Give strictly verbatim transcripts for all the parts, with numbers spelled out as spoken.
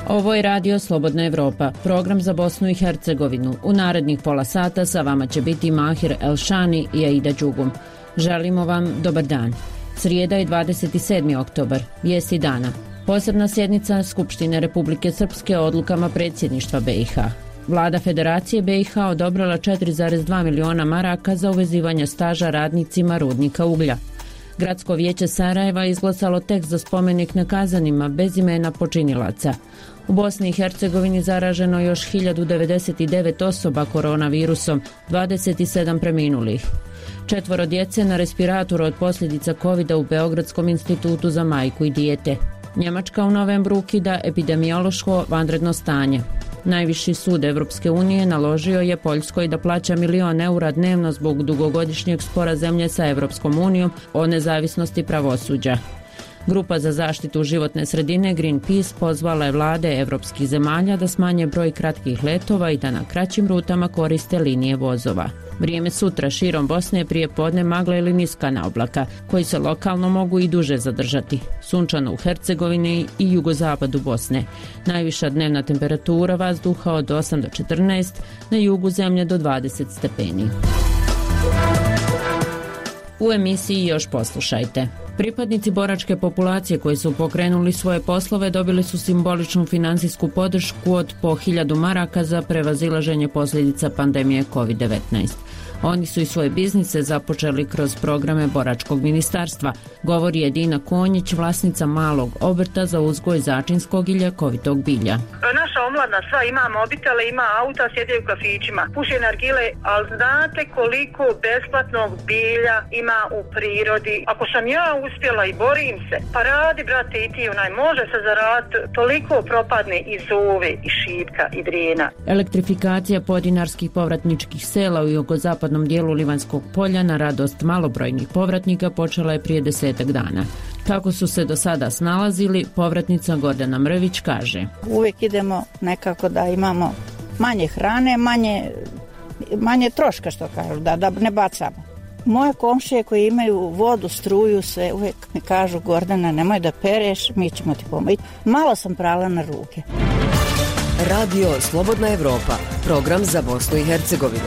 Ovo je Radio Slobodna Evropa, program za Bosnu i Hercegovinu. U narednih pola sata sa vama će biti Mahir Elšani i Aida Đugum. Želimo vam dobar dan. Srijeda je dvadeset sedmi oktobar, vijesti dana. Posebna sjednica Skupštine Republike Srpske odlukama predsjedništva B i H. Vlada Federacije B i H odobrila četiri zarez dva miliona maraka za uvezivanje staža radnicima rudnika uglja. Gradsko vijeće Sarajeva izglasalo tekst za spomenik nekazanima bez imena počinilaca. U Bosni i Hercegovini zaraženo još hiljadu devedeset devet osoba koronavirusom, dvadeset sedam preminulih. Četvoro djece na respiratoru od posljedica kovida u Beogradskom institutu za majku i dijete. Njemačka u novembru ukida epidemiološko vanredno stanje. Najviši sud Evropske unije naložio je Poljskoj da plaća milion eura dnevno zbog dugogodišnjeg spora zemlje sa Evropskom unijom o nezavisnosti pravosuđa. Grupa za zaštitu životne sredine Greenpeace pozvala je vlade evropskih zemalja da smanje broj kratkih letova i da na kraćim rutama koriste linije vozova. Vrijeme sutra širom Bosne je prije podne magla ili niskana oblaka, koji se lokalno mogu i duže zadržati. Sunčano u Hercegovini i jugozapadu Bosne. Najviša dnevna temperatura vazduha od osam do četrnaest, na jugu zemlje do dvadeset stepeni. U emisiji još poslušajte. Pripadnici boračke populacije koji su pokrenuli svoje poslove dobili su simboličnu finansijsku podršku od po hiljadu maraka za prevazilaženje posljedica pandemije kovid devetnaest. Oni su i svoje biznise započeli kroz programe boračkog ministarstva, govori Edina Konjić, vlasnica malog obrta za uzgoj začinskog i ljekovitog bilja. Naša omladna sva ima mobitele, ima auta, sjede u kafićima, puše nargile, ali znate koliko besplatnog bilja ima u prirodi? Ako sam ja uspjela i borim se, pa radi, brate, i ti onaj, može se zaraditi, toliko propadne i zove, i šipka, i drijena. Elektrifikacija podinarskih povratničkih sela u jugozapadnom dijelu Livanskog polja na radost malobrojnih povratnika počela je prije desetak dana. Kako su se do sada snalazili, povratnica Gordana Mrvić kaže: Uvijek idemo nekako da imamo manje hrane, manje, manje troška, što kažu, da, da ne bacamo. Moje komšije koji imaju vodu, struju, sve uvijek mi kažu: Gordana, nemoj da pereš, mi ćemo ti pomoći. Malo sam prala na ruke. Radio Slobodna Evropa, program za Bosnu i Hercegovinu.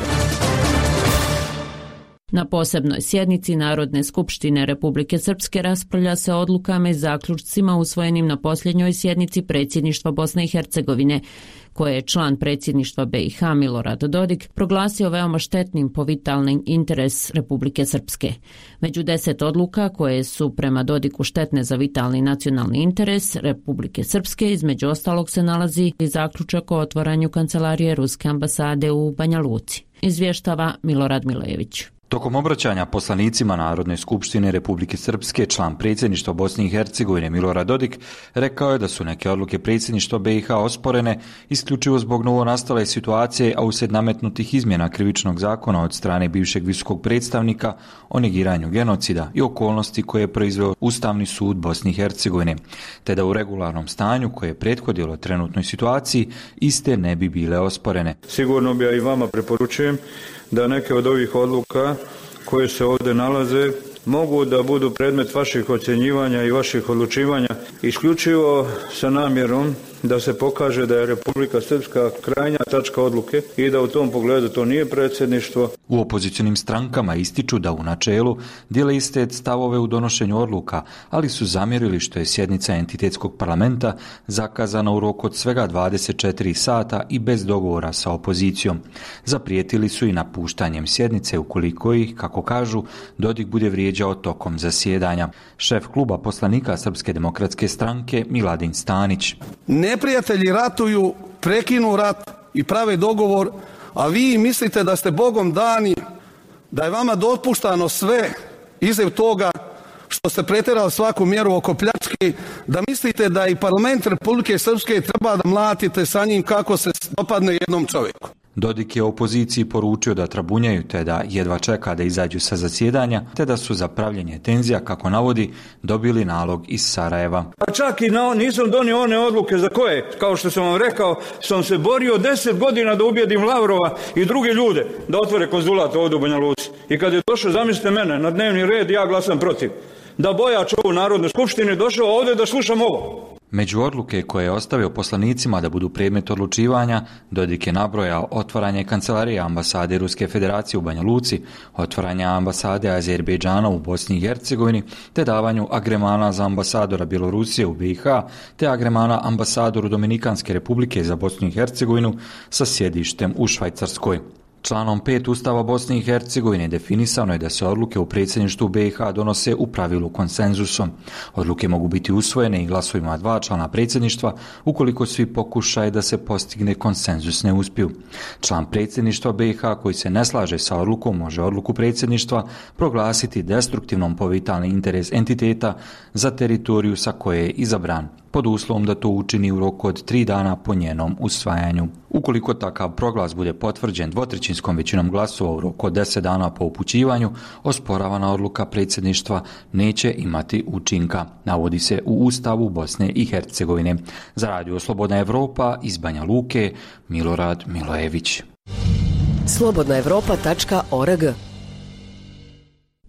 Na posebnoj sjednici Narodne skupštine Republike Srpske raspravlja se o odlukama i zaključcima usvojenim na posljednjoj sjednici predsjedništva Bosne i Hercegovine, koje je član predsjedništva B i H Milorad Dodik proglasio veoma štetnim po vitalni interes Republike Srpske. Među deset odluka koje su prema Dodiku štetne za vitalni nacionalni interes Republike Srpske, između ostalog se nalazi i zaključak o otvaranju kancelarije Ruske ambasade u Banja Luci. Izvještava Milorad Milejević. Tokom obraćanja poslanicima Narodne skupštine Republike Srpske, član predsjedništva Bosne i Hercegovine Milorad Dodik rekao je da su neke odluke predsjedništva B i H osporene isključivo zbog novonastale situacije, a uslijed nametnutih izmjena krivičnog zakona od strane bivšeg visokog predstavnika o negiranju genocida i okolnosti koje je proizveo Ustavni sud Bosne i Hercegovine, te da u regularnom stanju koje je prethodilo trenutnoj situaciji iste ne bi bile osporene. Sigurno bi ja i vama preporučujem da neke od ovih odluka koje se ovdje nalaze mogu da budu predmet vaših ocjenjivanja i vaših odlučivanja isključivo sa namjerom da se pokaže da je Republika Srpska krajnja tačka odluke i da u tom pogledu to nije predsjedništvo. U opozicionim strankama ističu da u načelu dijele iste stavove u donošenju odluka, ali su zamjerili što je sjednica entitetskog parlamenta zakazana u roku od svega dvadeset četiri sata i bez dogovora sa opozicijom. Zaprijetili su i napuštanjem sjednice ukoliko ih, kako kažu, Dodik bude vrijeđao tokom zasjedanja. Šef kluba poslanika Srpske demokratske stranke Miladin Stanić. Neprijatelji ratuju, prekinu rat i prave dogovor, a vi mislite da ste Bogom dani, da je vama dopuštano sve iza toga što ste pretjerali svaku mjeru oko pljačke, da mislite da i parlament Republike Srpske treba da mlatite sa njim kako se dopadne jednom čovjeku. Dodik je opoziciji poručio da trabunjaju te da jedva čeka da izađu sa zasjedanja, te da su za pravljenje tenzija, kako navodi, dobili nalog iz Sarajeva. A čak i na, nisam donio one odluke za koje, kao što sam vam rekao, sam se borio deset godina da ubijedim Lavrova i druge ljude da otvore konzulat ovdje u Banja Luci. I kad je došao, zamislite mene, na dnevni red, ja glasam protiv. Da bojač ovu Narodnoj skupštini došao ovdje da slušam ovo. Među odluke koje je ostavio poslanicima da budu predmet odlučivanja, Dodik je nabrojao otvaranje kancelarije ambasade Ruske federacije u Banja Luci, otvaranje ambasade Azerbejdžana u Bosni i Hercegovini, te davanju agremana za ambasadora Bjelorusije u B i H, te agremana ambasadoru Dominikanske republike za Bosnu i Hercegovinu sa sjedištem u Švajcarskoj. Članom pet Ustava Bosne i Hercegovine definisano je da se odluke u predsjedništvu B i H donose u pravilu konsenzusom. Odluke mogu biti usvojene i glasovima dva člana predsjedništva ukoliko svi pokušaje da se postigne konsenzus ne uspiju. Član predsjedništva B i H koji se ne slaže sa odlukom može odluku predsjedništva proglasiti destruktivnom po vitalni interes entiteta za teritoriju sa koje je izabran, pod uslovom da to učini u roku od tri dana po njenom usvajanju. Ukoliko takav proglas bude potvrđen dvotrećinskom većinom glasova u roku od deset dana po upućivanju, osporavana odluka predsjedništva neće imati učinka, navodi se u Ustavu Bosne i Hercegovine. Za Radio Slobodna Evropa iz Banja Luke, Milorad Milojević. slobodna evropa tačka org.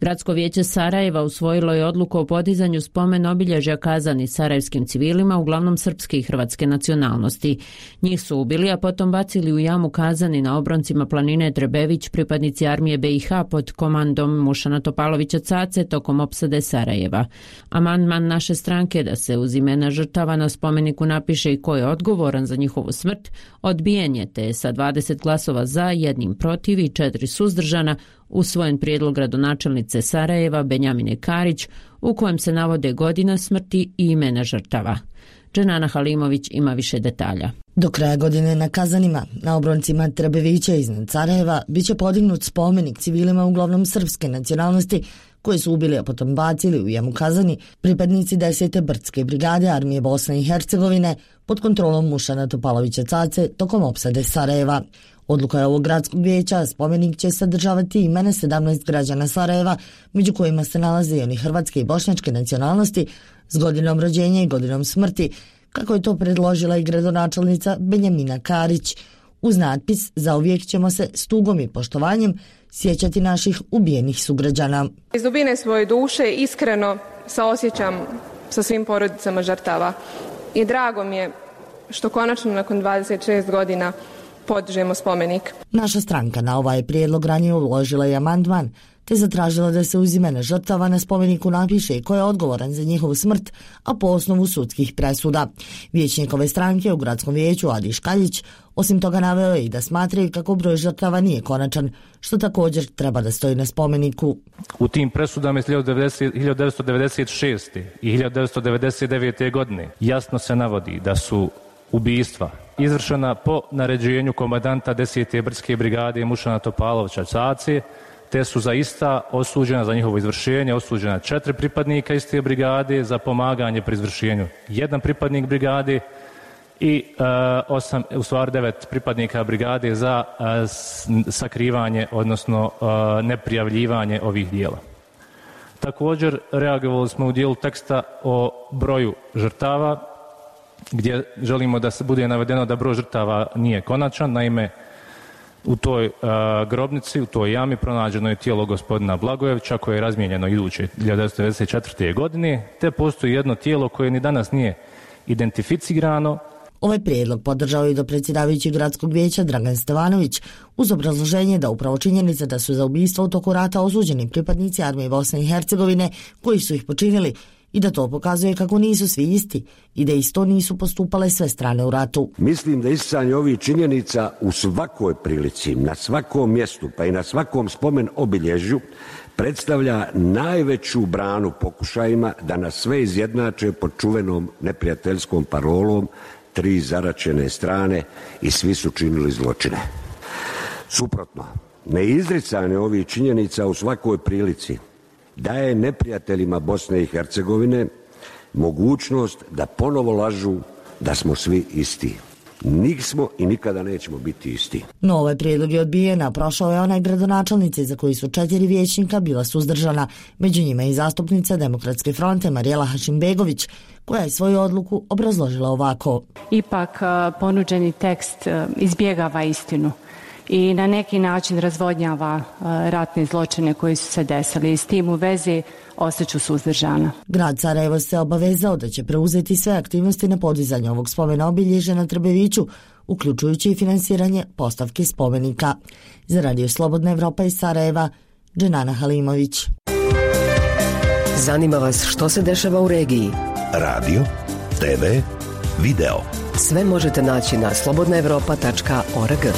Gradsko vijeće Sarajeva usvojilo je odluku o podizanju spomen obilježja kazanih sarajevskim civilima, uglavnom srpske i hrvatske nacionalnosti. Njih su ubili, a potom bacili u jamu kazani na obroncima planine Trebević pripadnici armije B i H pod komandom Mušana Topalovića Cace tokom opsade Sarajeva. Amandman naše stranke da se uz imena žrtava na spomeniku napiše i ko je odgovoran za njihovu smrt, odbijen je, te sa dvadeset glasova za, jednim protiv i četiri suzdržana usvojen prijedlog gradonačelnice Sarajeva Benjamine Karić u kojem se navode godina smrti i imena žrtava. Dženana Halimović ima više detalja. Do kraja godine na Kazanima, na obroncima Trebevića iznad Sarajeva, bit će podignut spomenik civilima uglavnom srpske nacionalnosti koji su ubili, a potom bacili u jamu Kazani pripadnici desete brdske brigade armije Bosne i Hercegovine pod kontrolom Mušana Topalovića Cace tokom opsade Sarajeva. Odluka je ovog gradskog vijeća, spomenik će sadržavati imena sedamnaest građana Sarajeva, među kojima se nalaze i oni hrvatske i bošnjačke nacionalnosti s godinom rođenja i godinom smrti, kako je to predložila i gradonačelnica Benjamina Karić. Uz natpis "Zauvijek ćemo se s tugom i poštovanjem sjećati naših ubijenih sugrađana." Iz dubine svoje duše iskreno saosjećam sa svim porodicama žrtava i drago mi je što konačno nakon dvadeset šest godina podižemo spomenik. Naša stranka na ovaj prijedlog ranije uložila i amandman, te zatražila da se uz imena žrtava na spomeniku napiše ko je odgovoran za njihovu smrt, a po osnovu sudskih presuda. Vijećnik ove stranke u gradskom vijeću Adi Škaljić osim toga naveo je i da smatraju kako broj žrtava nije konačan, što također treba da stoji na spomeniku. U tim presudama iz hiljadu devetsto devedeset šeste i hiljadu devetsto devedeset devete godine jasno se navodi da su ubistva izvršena po naređenju komandanta desete brdske brigade Mušana Topalovića Cace, te su zaista osuđena za njihovo izvršenje, osuđena četiri pripadnika iste brigade za pomaganje pri izvršenju, jedan pripadnik brigade i uh, osam, u stvari devet pripadnika brigade za uh, sakrivanje, odnosno uh, neprijavljivanje ovih dijela. Također reagovali smo u dijelu teksta o broju žrtava, gdje želimo da se bude navedeno da broj žrtava nije konačan. Naime, u toj uh, grobnici, u toj jami pronađeno je tijelo gospodina Blagojevića koje je razmijenjeno iduće hiljadu devetsto devedeset četvrte. godine, te postoji jedno tijelo koje ni danas nije identificirano. Ovaj prijedlog podržao i do predsjedavajući gradskog vijeća Dragan Stevanović uz obrazloženje da upravo činjenica da su za ubistvo u toku rata osuđeni pripadnici armije Bosne i Hercegovine koji su ih počinili i da to pokazuje kako nisu svi isti i da isto nisu postupale sve strane u ratu. Mislim da isticanje ovih činjenica u svakoj prilici, na svakom mjestu pa i na svakom spomen obilježju predstavlja najveću branu pokušajima da nas sve izjednače pod čuvenom neprijateljskom parolom tri zaračene strane i svi su činili zločine. Suprotno, neizricanje ovih činjenica u svakoj prilici daje neprijateljima Bosne i Hercegovine mogućnost da ponovo lažu da smo svi isti. Nismo i nikada nećemo biti isti. No, ovaj prijedlog je odbijen, a prošao je onaj gradonačelnici za koji su četiri vijećnika bila suzdržana, među njima i zastupnica Demokratske fronte Marijela Hašimbegović, koja je svoju odluku obrazložila ovako. Ipak ponuđeni tekst izbjegava istinu i na neki način razvodnjava ratne zločine koji su se desili i s tim u vezi ostaću suzdržana. Grad Sarajevo se obavezao da će preuzeti sve aktivnosti na podizanju ovog spomena obilježja na Trbeviću, uključujući i finansiranje postavke spomenika. Za Radio Slobodna Evropa iz Sarajeva, Dženana Halimović. Zanima vas što se dešava u regiji? Radio, te ve, video. Sve možete naći na slobodna evropa tačka org.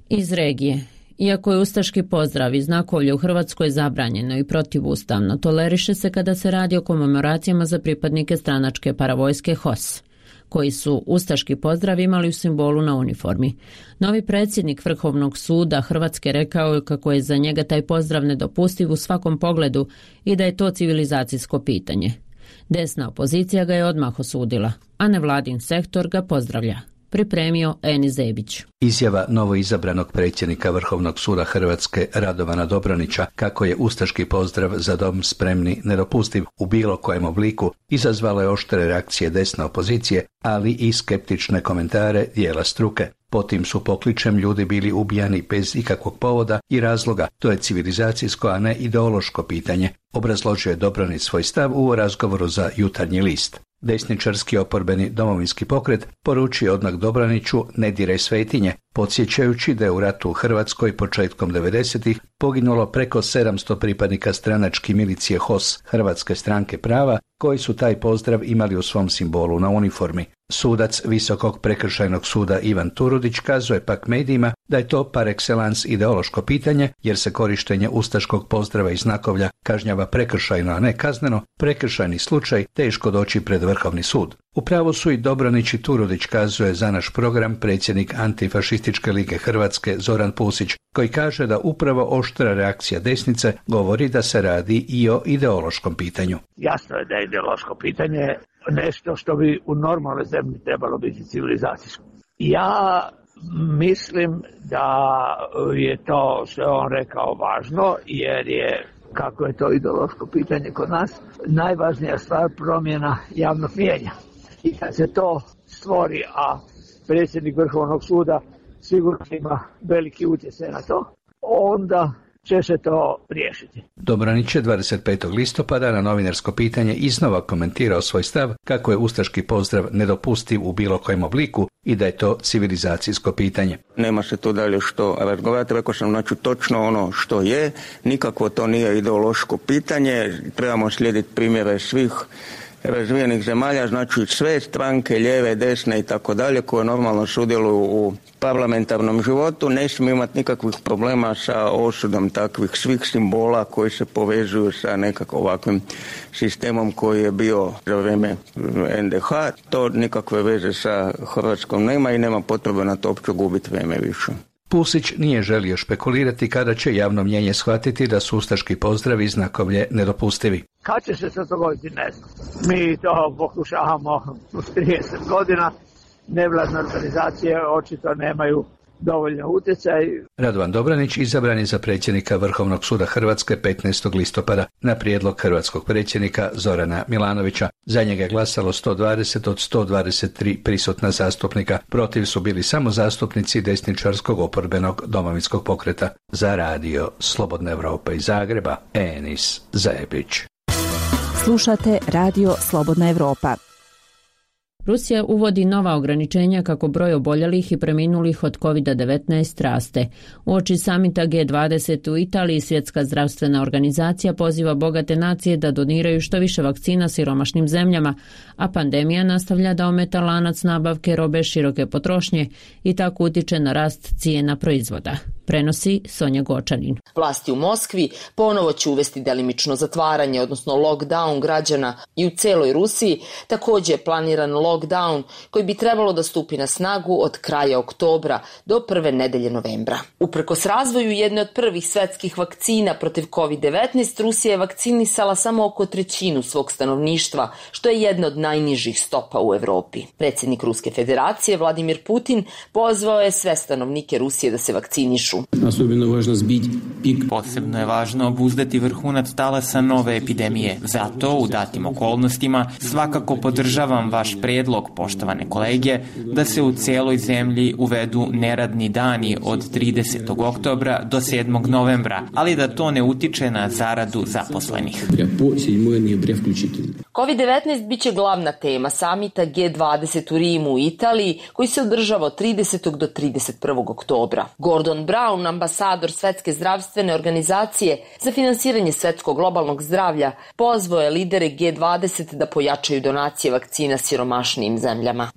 Iz regije. Iako je ustaški pozdrav i znakovlje u Hrvatskoj zabranjeno i protivustavno, toleriše se kada se radi o komemoracijama za pripadnike stranačke paravojske H O S, koji su ustaški pozdrav imali u simbolu na uniformi. Novi predsjednik Vrhovnog suda Hrvatske rekao je kako je za njega taj pozdrav nedopustiv u svakom pogledu i da je to civilizacijsko pitanje. Desna opozicija ga je odmah osudila, a nevladin sektor ga pozdravlja. Pripremio Eni Zebić. Izjava novoizabranog predsjednika Vrhovnog suda Hrvatske Radovana Dobronića kako je ustaški pozdrav za dom spremni nedopustiv u bilo kojem obliku izazvala je oštre reakcije desne opozicije, ali i skeptične komentare dijela struke. Potim su pokličem ljudi bili ubijani bez ikakvog povoda i razloga. To je civilizacijsko, a ne ideološko pitanje, obrazložio je Dobronić svoj stav u razgovoru za Jutarnji list. Desničarski oporbeni Domovinski pokret poručio odmah Dobroniću ne diraj svetinje, podsjećajući da je u ratu u Hrvatskoj početkom devedesetih poginulo preko sedamsto pripadnika stranačke milicije H O S, Hrvatske stranke prava, koji su taj pozdrav imali u svom simbolu na uniformi. Sudac Visokog prekršajnog suda Ivan Turudić kazuje pak medijima da je to par excellence ideološko pitanje, jer se korištenje ustaškog pozdrava i znakovlja kažnjava prekršajno, a ne kazneno, prekršajni slučaj teško doći pred Vrhovni sud. Upravo su i Dobronić i Turudić, kazuje za naš program predsjednik Antifašističke lige Hrvatske Zoran Pusić, koji kaže da upravo oštra reakcija desnice govori da se radi i o ideološkom pitanju. Jasno je da je ideološko pitanje nešto što bi u normalnoj zemlji trebalo biti civilizacijsko. Ja mislim da je to što je on rekao važno, jer je, kako je to ideološko pitanje kod nas, najvažnija stvar promjena javnog mijenja. I kad se to stvori, a predsjednik Vrhovnog suda sigurno ima veliki utjecaj na to, onda će se to riješiti. Dobronić je dvadeset petog listopada na novinarsko pitanje iznova komentirao svoj stav kako je ustaški pozdrav nedopustiv u bilo kojem obliku i da je to civilizacijsko pitanje. Nema se tu dalje što razgovarati, rekao sam znači točno ono što je, nikako to nije ideološko pitanje, trebamo slijediti primjere svih razvijenih zemalja, znači sve stranke, lijeve, desne i tako dalje, koje normalno sudjeluju u parlamentarnom životu, ne smije imati nikakvih problema sa osudom takvih svih simbola koji se povezuju sa nekako ovakvim sistemom koji je bio za vrijeme en de ha. To nikakve veze sa Hrvatskom nema i nema potrebe na to uopće gubiti vrijeme više. Pusić nije želio špekulirati kada će javno mnjenje shvatiti da su ustaški pozdravi i znakovlje nedopustivi. Kad će se to dogoditi, ne znam. Mi to pokušavamo u trideset godina, nevladne organizacije očito nemaju dovoljno utjecaj. Radovan Dobronić izabran je za predsjednika Vrhovnog suda Hrvatske petnaestog listopada na prijedlog hrvatskog predsjednika Zorana Milanovića. Za njega je glasalo sto dvadeset od sto dvadeset tri prisutna zastupnika. Protiv su bili samo zastupnici desničarskog oporbenog Domovinskog pokreta. Za Radio Slobodna Evropa iz Zagreba, Enis Zebić. Slušate Radio Slobodna Evropa. Rusija uvodi nova ograničenja kako broj oboljelih i preminulih od kovid devetnaest raste. Uoči samita ge dvadeset u Italiji Svjetska zdravstvena organizacija poziva bogate nacije da doniraju što više vakcina siromašnim zemljama, a pandemija nastavlja da ometa lanac nabavke robe široke potrošnje i tako utiče na rast cijena proizvoda. prenosi Sonja Gočanin. Vlasti u Moskvi ponovo će uvesti delimično zatvaranje, odnosno lockdown građana i u celoj Rusiji. Također je planiran lockdown koji bi trebalo da stupi na snagu od kraja oktobra do prve nedelje novembra. Uprkos razvoju jedne od prvih svetskih vakcina protiv kovid devetnaest, Rusija je vakcinisala samo oko trećinu svog stanovništva, što je jedna od najnižih stopa u Evropi. Predsjednik Ruske federacije Vladimir Putin pozvao je sve stanovnike Rusije da se vakcinišu. Posebno je važno obuzdati vrhunac talasa nove epidemije. Zato u datim okolnostima svakako podržavam vaš predlog, poštovane kolege, da se u cijeloj zemlji uvedu neradni dani od tridesetog oktobra do sedmog novembra, ali da to ne utiče na zaradu zaposlenih. kovid devetnaest biće glavna tema samita G dvadeset u Rimu u Italiji, koji se održava od tridesetog do trideset prvog oktobra. Gordon Brown, ambasador Svetske zdravstvene organizacije za finansiranje svetskog globalnog zdravlja, pozvao je lidere G dvadeset da pojačaju donacije vakcina siromašnijim zemljama.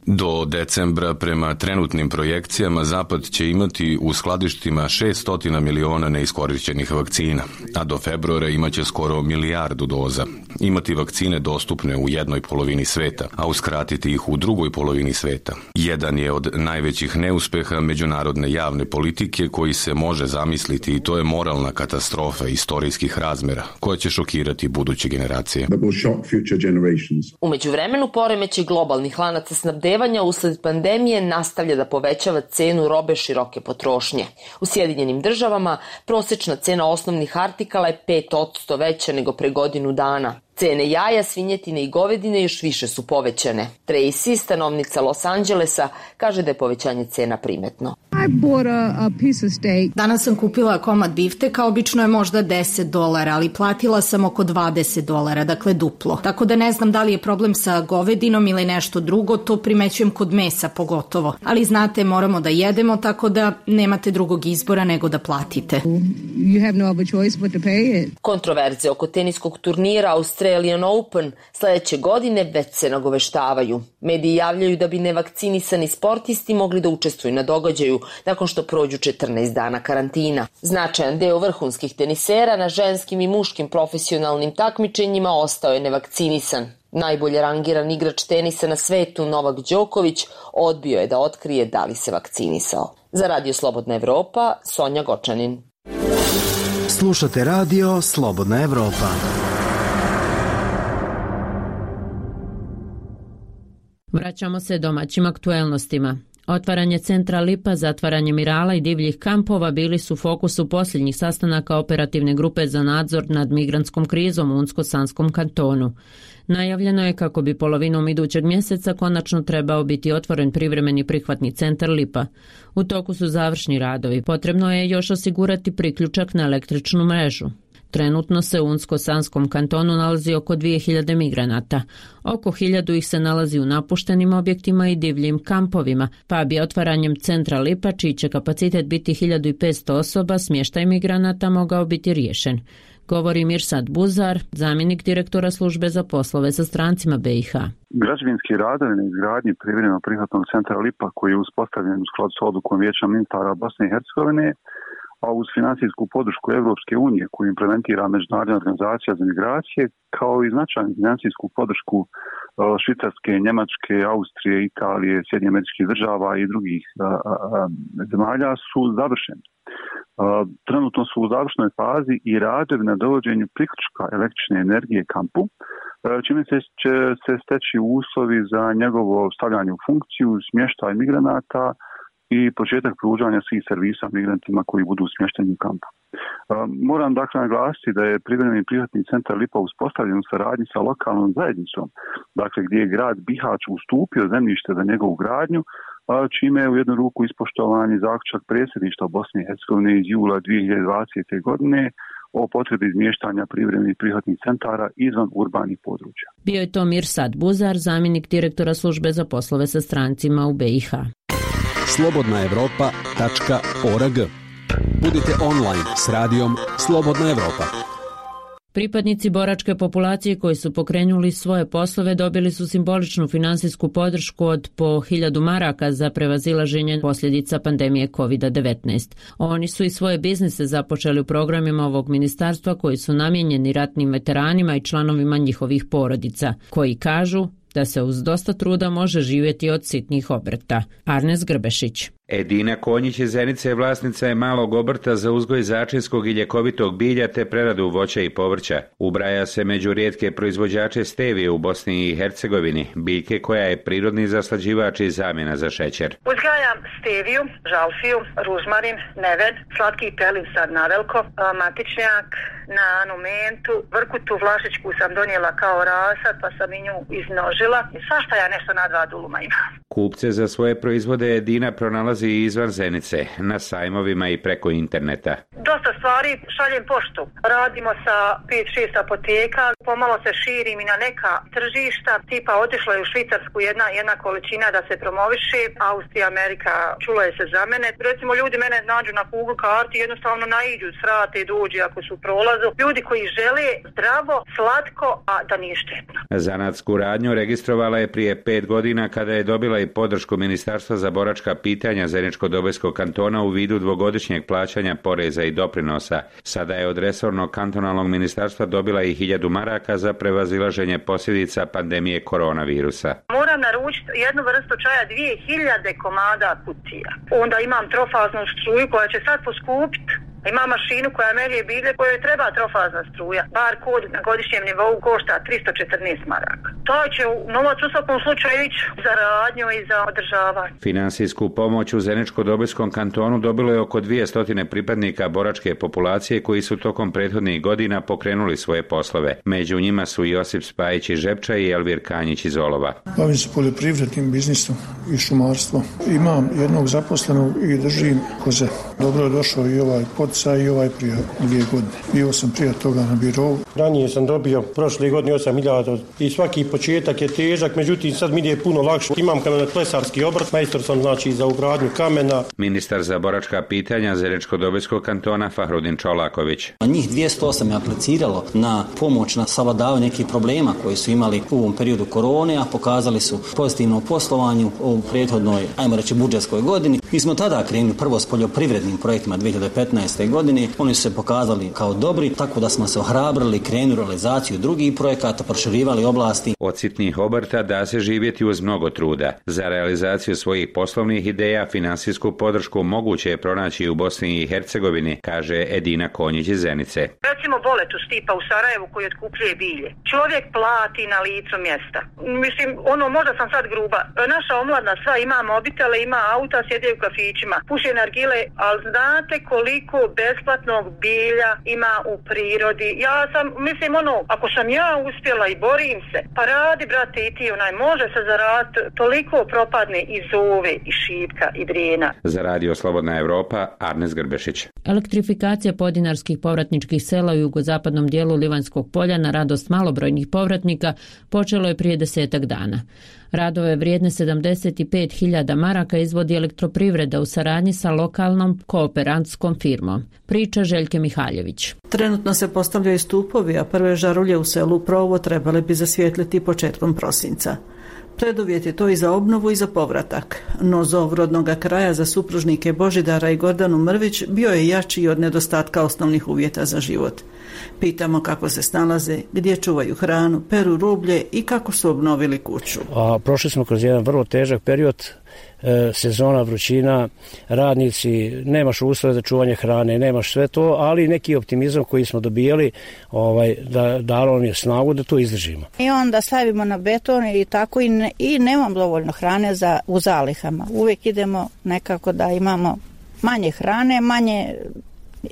Do decembra prema trenutnim projekcijama Zapad će imati u skladištima šessto miliona neiskorišćenih vakcina, a do februara imaće skoro milijardu doza. Imati vakcine dostupne u jednoj polovini sveta, a uskratiti ih u drugoj polovini sveta. Jedan je od najvećih neuspeha međunarodne javne politike koji se može zamisliti, i to je moralna katastrofa istorijskih razmera koja će šokirati buduće generacije. U međuvremenu poremećaj globalnih lanaca snabdevanja usled pandemije nastavlja da povećava cenu robe široke potrošnje. U Sjedinjenim državama prosječna cena osnovnih artikala je pet posto veća nego pre godinu dana. Cene jaja, svinjetine i govedine još više su povećane. Tracy, stanovnica Los Angelesa, kaže da je povećanje cena primetno. Danas sam kupila komad bifteka, obično je možda deset dolara, ali platila sam oko dvadeset dolara, dakle duplo. Tako da ne znam da li je problem sa govedinom ili nešto drugo, to primećujem kod mesa pogotovo. Ali znate, moramo da jedemo, tako da nemate drugog izbora nego da platite. Kontroverze oko teniskog turnira Australian Open sljedeće godine već se nagoveštavaju. Mediji javljaju da bi nevakcinisani sportisti mogli da učestvuju na događaju nakon što prođu četrnaest dana karantina. Značajan deo vrhunskih tenisera na ženskim i muškim profesionalnim takmičenjima ostao je nevakcinisan. Najbolje rangiran igrač tenisa na svetu, Novak Đoković, odbio je da otkrije da li se vakcinisao. Za Radio Slobodna Evropa, Sonja Gočanin. Slušate Radio Slobodna Evropa. Vraćamo se domaćim aktuelnostima. Otvaranje centra Lipa, zatvaranje Mirala i divljih kampova bili su fokusu posljednjih sastanaka operativne grupe za nadzor nad migrantskom krizom u Unsko-Sanskom kantonu. Najavljeno je kako bi polovinom idućeg mjeseca konačno trebao biti otvoren privremeni prihvatni centar Lipa. U toku su završni radovi. Potrebno je još osigurati priključak na električnu mrežu. Trenutno se u Unsko-Sanskom kantonu nalazi oko dvije hiljade migranata. Oko hiljadu ih se nalazi u napuštenim objektima i divljim kampovima, pa bi otvaranjem centra Lipa, čiji će kapacitet biti hiljadu petsto osoba, smještaj migranata mogao biti riješen. Govori Mirsad Buzar, zamjenik direktora službe za poslove sa strancima B i H. Građevinski radovi na izgradnji privremenog prihvatnog centra Lipa, koji je uspostavljen u skladu s odlukom Vijeća ministara Bosne i Hercegovine, a uz financijsku podršku Evropske unije koju implementira Međunarodna organizacija za migracije, kao i značajnu financijsku podršku Švicarske, Njemačke, Austrije, Italije, Sjedinjenih Američkih Država i drugih a, a, zemalja su završeni. A, trenutno su u završnoj fazi i radovi na dovođenju priključka električne energije kampu, čime se će se steći uslovi za njegovo stavljanje u funkciju, smještaj migranata i početak pružanja svih servisa migrantima koji budu smješteni u kampu. Moram dakle naglasiti da je privremeni prihvatni centar Lipa uspostavljen u saradnji sa lokalnom zajednicom, dakle gdje je grad Bihać ustupio zemljište za njegovu gradnju, čime je u jednu ruku ispoštovan i zaključak predsjedništva Bosne i Hercegovine iz jula dvije hiljade dvadesete. godine o potrebi izmještanja privremenih prihvatnih centara izvan urbanih područja. Bio je to Mirsad Buzar, zamjenik direktora službe za poslove sa strancima u B i H. slobodna evropa tačka org. Budite online s radijom Slobodna Evropa. Pripadnici boračke populacije koji su pokrenuli svoje poslove dobili su simboličnu finansijsku podršku od po hiljadu maraka za prevazilaženje posljedica pandemije kovid devetnaest. Oni su i svoje biznise započeli u programima ovog ministarstva koji su namijenjeni ratnim veteranima i članovima njihovih porodica, koji kažu da se uz dosta truda može živjeti od sitnih obrta. Arnes Grbešić. Edina Konjić iz Zenice je vlasnica je malog obrta za uzgoj začinskog i ljekovitog bilja te preradu voća i povrća. Ubraja se među rijetke proizvođače stevije u Bosni i Hercegovini, biljke koja je prirodni zaslađivač i zamjena za šećer. Uzgajam steviju, žalfiju, ružmarin, neven, slatki pelin sad naveliko, matičnjak, na anumentu, vrkutu vlašičku sam donijela kao rasad pa sam i nju iznožila i svašta ja nešto na dva duluma imam. Kupce za svoje proizvode Edina pronalazi i izvan Zenice, na sajmovima i preko interneta. Dosta stvari šaljem poštu. Radimo sa pet šest apoteka, pomalo se širim i na neka tržišta, tipa otišla je u Švicarsku jedna, jedna količina da se promoviše, Austrija, Amerika, čula je se za mene. Recimo ljudi mene nađu na Google karti, jednostavno naiđu, srate, dođe ako su u prolazu. Ljudi koji žele zdravo, slatko, a da nije štetno. Zanatsku radnju registrovala je prije pet godina kada je dobila i podršku Ministarstva za boračka pitanja Zeničko-Dobojskog kantona u vidu dvogodišnjeg plaćanja poreza i doprinosa. Sada je od resornog kantonalnog ministarstva dobila i hiljadu maraka za prevazilaženje posljedica pandemije koronavirusa. Moram naručiti jednu vrstu čaja, dvije hiljade komada kutija. Onda imam trofaznu struju koja će sad poskupiti. Imam mašinu koja melje bilje kojoj treba trofazna struja. Bar kod na godišnjem nivou košta tristo četrnaest maraka. To će novac u svakom slučaju ići za radnju i za održavanje. Finansijsku pomoć u Zeničko-Dobojskom kantonu dobilo je oko dvjesto pripadnika boračke populacije koji su tokom prethodnih godina pokrenuli svoje poslove. Među njima su Josip Spajić iz Žepča i Elvir Kanjić iz Olova. Bavim se poljoprivrednim biznisom i šumarstvom. Imam jednog zaposlenog i držim koze. Dobro je došao i ovaj podsaj i ovaj prije dvije godine. Bio sam prije toga na birovu. Ranije sam dobio prošle godine osam hiljada i svaki početak je težak, međutim sad mi je puno lakše. Imam kamenoklesarski obrt, majstor sam znači za ugradnju kamena. Ministar za boračka pitanja Zeničko-Dobojskog kantona Fahrudin Čolaković. Njih dvjesto osam je apliciralo na pomoć na savladavanju nekih problema koji su imali u ovom periodu korone, a pokazali su pozitivno poslovanje u prethodnoj, ajmo reći, budžetskoj godini. Mi smo tada krenuli prvo s poljoprivrednim projektima dvije hiljade petnaeste. godine. Oni su se pokazali kao dobri, tako da smo se ohrabrili, krenuli realizaciju drugih projekata, proširivali oblasti. Od sitnih obrta da se živjeti uz mnogo truda. Za realizaciju svojih poslovnih ideja finansijsku podršku moguće je pronaći u Bosni i Hercegovini, kaže Edina Konjić iz Zenice. Recimo Boletu Stipa u Sarajevu koji otkupljuje bilje. Čovjek plati na licu mjesta. Mislim, ono, možda sam sad gruba. Naša omladna sva ima mobitele, ima auta, sjede u kafićima, puše nargile, ali znate koliko besplatnog bilja ima u prirodi. Ja sam, mislim, ono, ako sam ja uspjela i borim se, pa radi, brate, i ti, onaj, može se zaraditi, toliko propadne i zove, i šipka, i drijena. Za Radio Slobodna Evropa, Arnes Grbešić. Elektrifikacija podinarskih povratničkih sela u jugozapadnom dijelu Livanjskog polja na radost malobrojnih povratnika počelo je prije desetak dana. Radove vrijedne sedamdeset pet hiljada maraka izvodi Elektroprivreda u saradnji sa lokalnom kooperantskom firmom. Priča Željke Mihaljević. Trenutno se postavljaju stupovi, a prve žarulje u selu Provo trebale bi zasvijetliti početkom prosinca. Preduvjet je to i za obnovu i za povratak, no zov rodnoga kraja za supružnike Božidara i Gordanu Mrvić bio je jači od nedostatka osnovnih uvjeta za život. Pitamo kako se snalaze, gdje čuvaju hranu, peru rublje i kako su obnovili kuću. A prošli smo kroz jedan vrlo težak period, e, sezona, vrućina, radnici, nemaš uslove za čuvanje hrane, nemaš sve to, ali neki optimizam koji smo dobijali ovaj, da, dalo nam je snagu da to izdržimo. I onda stavimo na beton i tako i, ne, i nemam dovoljno hrane za, u zalihama. Uvijek idemo nekako da imamo manje hrane, manje,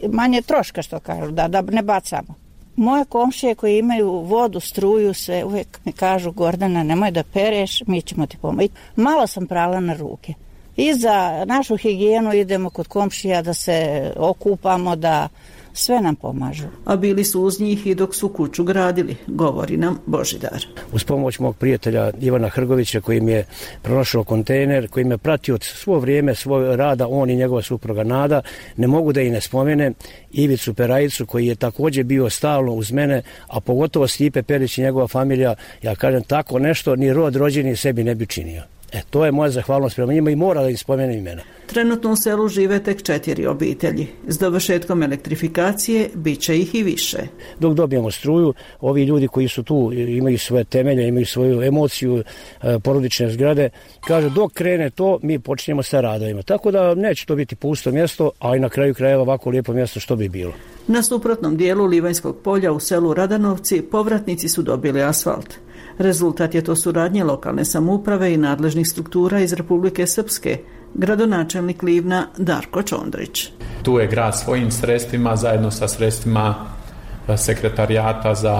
manje troška, što kažu, da, da ne bacamo. Moje komšije koji imaju vodu, struju, sve uvijek mi kažu: Gordana, nemoj da pereš, mi ćemo ti pomoći. Malo sam prala na ruke. I za našu higijenu idemo kod komšija da se okupamo, da sve nam pomažu. A bili su uz njih i dok su kuću gradili, govori nam Božidar. Uz pomoć mog prijatelja Ivana Hrgovića koji mi je pronašao kontejner, koji me pratio od svo vrijeme svoj rada, on i njegova supruga Nada, ne mogu da i ne spomenem Ivicu Perajicu koji je također bio stalno uz mene, a pogotovo Stipe Perić i njegova familija, ja kažem tako nešto ni rod rođeni sebi ne bi činio. E, to je moja zahvalnost prema njima i mora da im spomenem imena. Trenutno u selu žive tek četiri obitelji. S dovršetkom elektrifikacije bit će ih i više. Dok dobijemo struju, ovi ljudi koji su tu imaju svoje temelje, imaju svoju emociju, porodične zgrade, kaže dok krene to, mi počinjemo sa radovima. Tako da neće to biti pusto mjesto, a i na kraju krajeva ovako lijepo mjesto što bi bilo. Na suprotnom dijelu Livanjskog polja u selu Radanovci povratnici su dobili asfalt. Rezultat je to suradnje lokalne samouprave i nadležnih struktura iz Republike Srpske, gradonačelnik Livna Darko Čondrić. Tu je grad svojim sredstvima zajedno sa sredstvima sekretarijata za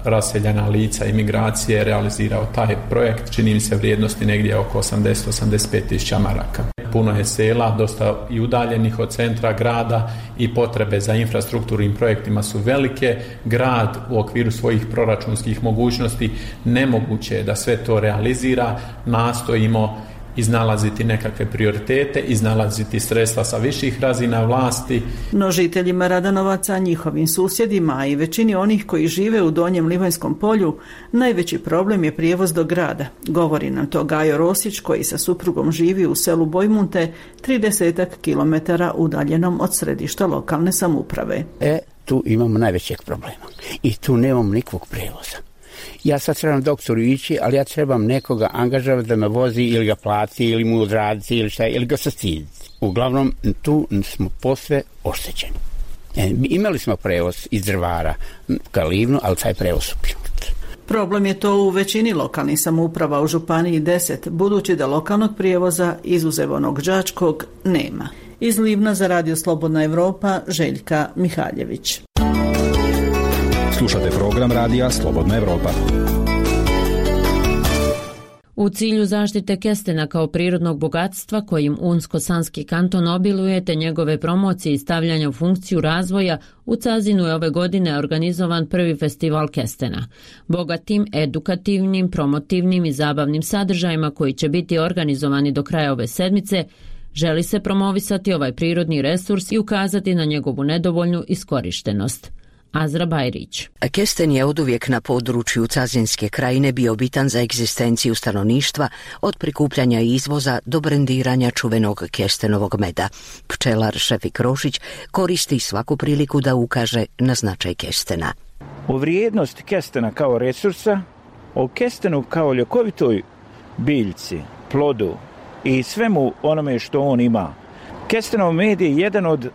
raseljena lica i migracije realizirao taj projekt, čini mi se vrijednosti negdje oko osamdeset do osamdeset pet tisuća maraka. Puno je sela, dosta i udaljenih od centra grada i potrebe za infrastrukturnim projektima su velike. Grad u okviru svojih proračunskih mogućnosti nemoguće je da sve to realizira. Nastojimo iznalaziti nekakve prioritete, iznalaziti sredstva sa viših razina vlasti. No žiteljima Radanovaca, njihovim susjedima, a i većini onih koji žive u Donjem Livanjskom polju, najveći problem je prijevoz do grada. Govori nam to Gajo Rosić koji sa suprugom živi u selu Bojmunte, tridesetak kilometara udaljenom od središta lokalne samouprave. E, tu imamo najvećeg problema i tu nemamo nikakvog prijevoza. Ja sad trebam doktoru ići, ali ja trebam nekoga angažavati da me vozi ili ga plati ili mu odraditi ili šta, ili ga sastiditi. Uglavnom, tu smo posve oštećeni. E, imali smo prevoz iz Drvara ka Livnu, ali taj prevoz ukinut. Problem je to u većini lokalnih samouprava u Županiji deset, budući da lokalnog prijevoza, izuzev onog đačkog, nema. Iz Livna za Radio Slobodna Evropa, Željka Mihaljević. Slušate program Radija Slobodna Evropa. U cilju zaštite kestena kao prirodnog bogatstva kojim Unsko-Sanski kanton obiluje te njegove promocije i stavljanja u funkciju razvoja, u Cazinu je ove godine organizovan prvi festival kestena. Bogatim, edukativnim, promotivnim i zabavnim sadržajima koji će biti organizovani do kraja ove sedmice, želi se promovisati ovaj prirodni resurs i ukazati na njegovu nedovoljnu iskorištenost. Azra Bajrić. Kesten je oduvijek na području Cazinske krajine bio bitan za egzistenciju stanovništva, od prikupljanja i izvoza do brendiranja čuvenog kestenovog meda. Pčelar Šefik Rošić koristi svaku priliku da ukaže na značaj kestena. O vrijednosti kestena kao resursa, o kestenu kao ljekovitoj biljci, plodu i svemu onome što on ima. Kestenov med je jedan od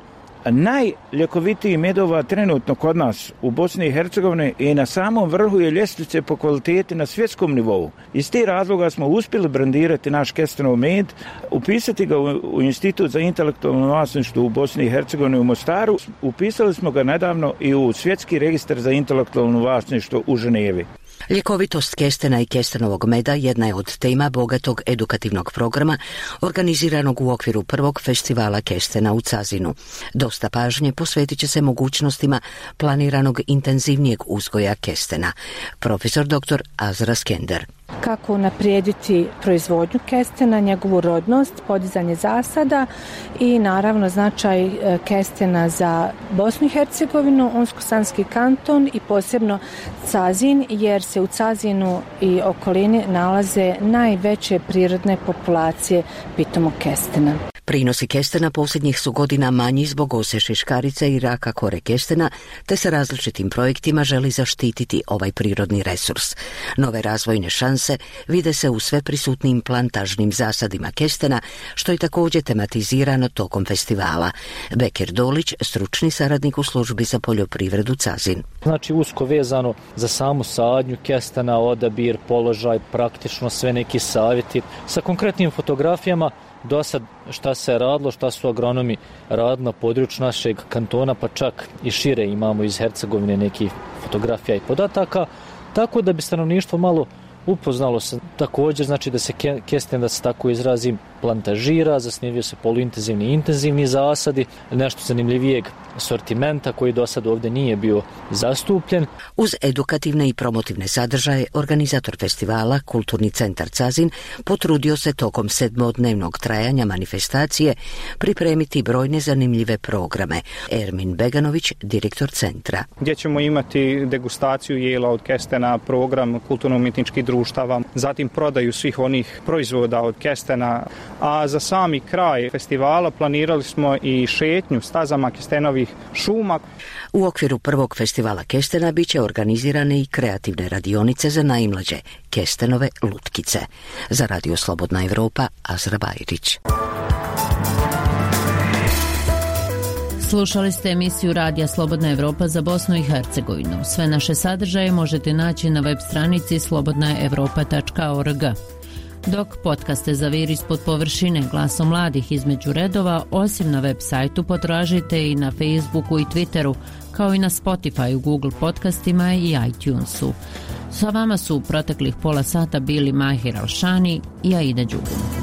najljekovitiji medova trenutno kod nas u Bosni i Hercegovini i na samom vrhu je ljestvice po kvaliteti na svjetskom nivou. Iz tih razloga smo uspjeli brandirati naš kestenov med, upisati ga u, u Institut za intelektualno vlasništvo u Bosni i Hercegovini u Mostaru. Upisali smo ga nedavno i u Svjetski registar za intelektualno vlasništvo u Ženevi. Ljekovitost kestena i kestenovog meda jedna je od tema bogatog edukativnog programa organiziranog u okviru prvog festivala kestena u Cazinu. Dosta pažnje posvetit će se mogućnostima planiranog intenzivnijeg uzgoja kestena. Profesor doktor Azra Skender. Kako unaprijediti proizvodnju kestena, njegovu rodnost, podizanje zasada i naravno značaj kestena za Bosnu i Hercegovinu, Unsko-Sanski kanton i posebno Cazin, jer se u Cazinu i okolini nalaze najveće prirodne populacije pitomog kestena. Prinosi kestena posljednjih su godina manji zbog ose šeškarice i raka kore kestena, te se različitim projektima želi zaštititi ovaj prirodni resurs. Nove razvojne šanse vide se u sve prisutnim plantažnim zasadima kestena, što je također tematizirano tokom festivala. Bekir Dolić, stručni saradnik u službi za poljoprivredu Cazin. Znači usko vezano za samu sadnju kestena, odabir, položaj, praktično sve neki savjeti sa konkretnim fotografijama. Do sad šta se radilo, šta su agronomi radili na području našeg kantona, pa čak i šire imamo iz Hercegovine nekih fotografija i podataka, tako da bi stanovništvo malo upoznalo se također, znači da se kesten, da se tako izrazim, plantažira, zasnivaju se poluintenzivni i intenzivni zasadi, nešto zanimljivijeg sortimenta koji do sad ovdje nije bio zastupljen. Uz edukativne i promotivne sadržaje, organizator festivala, Kulturni centar Cazin, potrudio se tokom sedmodnevnog trajanja manifestacije pripremiti brojne zanimljive programe. Ermin Beganović, direktor centra. Gdje ćemo imati degustaciju jela od kestena, program kulturno-umjetničkih društava, zatim prodaju svih onih proizvoda od kestena, a za sami kraj festivala planirali smo i šetnju stazama kestenovih šuma. U okviru prvog festivala kestena bit će organizirane i kreativne radionice za najmlađe, kestenove lutkice. Za Radio Slobodna Evropa, Azra Bajrić. Slušali ste emisiju Radija Slobodna Evropa za Bosnu i Hercegovinu. Sve naše sadržaje možete naći na web stranici slobodna evropa tačka org. Dok podcaste Zaviri ispod površine, Glasom mladih između redova, osim na web sajtu potražite i na Facebooku i Twitteru, kao i na Spotify, Google podcastima i iTunesu. Sa vama su u proteklih pola sata bili Mahir Alšani i Aida Đugum.